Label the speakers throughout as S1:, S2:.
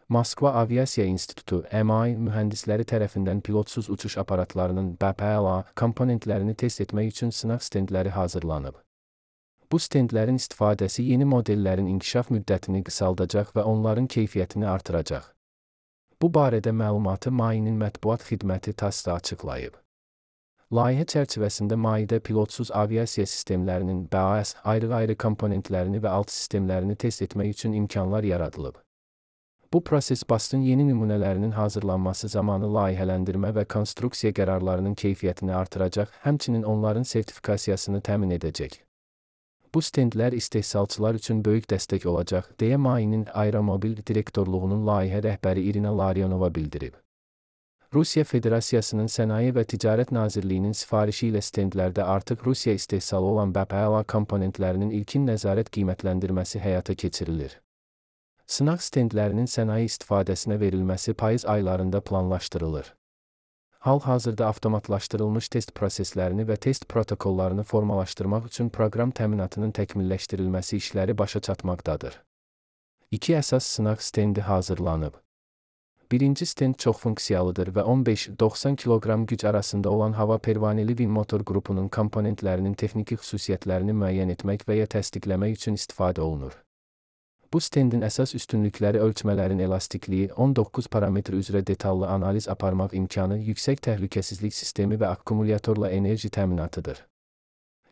S1: Moskva Aviasiya İnstitutu (MAI) mühəndisləri tərəfindən pilotsuz uçuş aparatlarının BPLA komponentlərini test etmək üçün sınaq stendləri hazırlanıb. Bu stendlərin istifadəsi yeni modellərin inkişaf müddətini qısaldacaq və onların keyfiyyətini artıracaq. Bu barədə məlumatı MAI-nin mətbuat xidməti TASS-da açıqlayıb. Layihə çərçivəsində MAI-də pilotsuz aviasiya sistemlərinin BAS ayrı-ayrı komponentlərini və alt sistemlərini test etmək üçün imkanlar yaradılıb. Bu proses BAS-ın yeni nümunələrinin hazırlanması zamanı layihələndirmə və konstruksiya qərarlarının keyfiyyətini artıracaq, həmçinin onların sertifikasiyasını təmin edəcək. Bu stendlər istehsalçılar üçün böyük dəstək olacaq, deyə MAI-nin Aeromobil direktorluğunun layihə rəhbəri Irina Larionova bildirib. Rusiya Federasiyasının Sənaye və Ticarət Nazirliyinin sifarişi ilə stendlərdə artıq Rusiya istehsalı olan BPLA komponentlərinin ilkin nəzarət qiymətləndirməsi həyata keçirilir. Sınaq stendlərinin sənaye istifadəsinə verilməsi payız aylarında planlaşdırılır. Hal-hazırda avtomatlaşdırılmış test proseslərini və test protokollarını formalaşdırmaq üçün proqram təminatının təkmilləşdirilməsi işləri başa çatmaqdadır. 2 əsas sınaq stendi hazırlanıb. Birinci stend çoxfunksiyalıdır və 15-90 kq güc arasında olan hava pervaneli VIN motor qrupunun komponentlərinin texniki xüsusiyyətlərini müəyyən etmək və ya təsdiqləmək üçün istifadə olunur. Bu stendin əsas üstünlükləri ölçmələrin elastikliyi, 19 parametr üzrə detallı analiz aparmaq imkanı, yüksək təhlükəsizlik sistemi və akkumulyatorla enerji təminatıdır.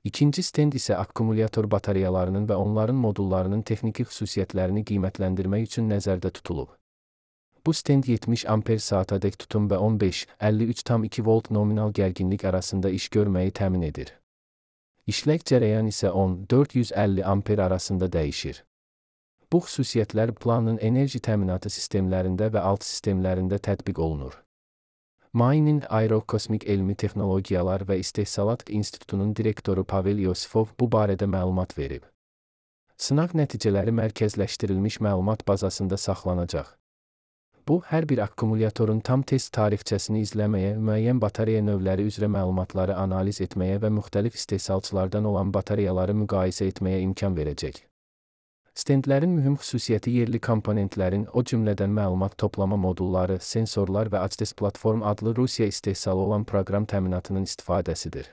S1: İkinci stend isə akkumulyator batareyalarının və onların modullarının texniki xüsusiyyətlərini qiymətləndirmək üçün nəzərdə tutulub. Bu stend 70 amper saatadək tutum və 15-53,2 volt nominal gərginlik arasında iş görməyi təmin edir. İşlək cərəyan isə 10-450 amper arasında dəyişir. Bu xüsusiyyətlər planın enerji təminatı sistemlərində və alt sistemlərində tətbiq olunur. MAI-nin Aerokosmik Elmi Texnologiyalar və İstehsalat İnstitutunun direktoru Pavel Yosifov bu barədə məlumat verib. Sınaq nəticələri mərkəzləşdirilmiş məlumat bazasında saxlanacaq. Bu, hər bir akkumulyatorun tam test tarixçəsini izləməyə, müəyyən batareya növləri üzrə məlumatları analiz etməyə və müxtəlif istehsalçılardan olan batareyaları müqayisə etməyə imkan verəcək. Stendlərin mühüm xüsusiyyəti yerli komponentlərin, o cümlədən məlumat toplama modulları, sensorlar və ACDES platform adlı Rusiya istehsalı olan proqram təminatının istifadəsidir.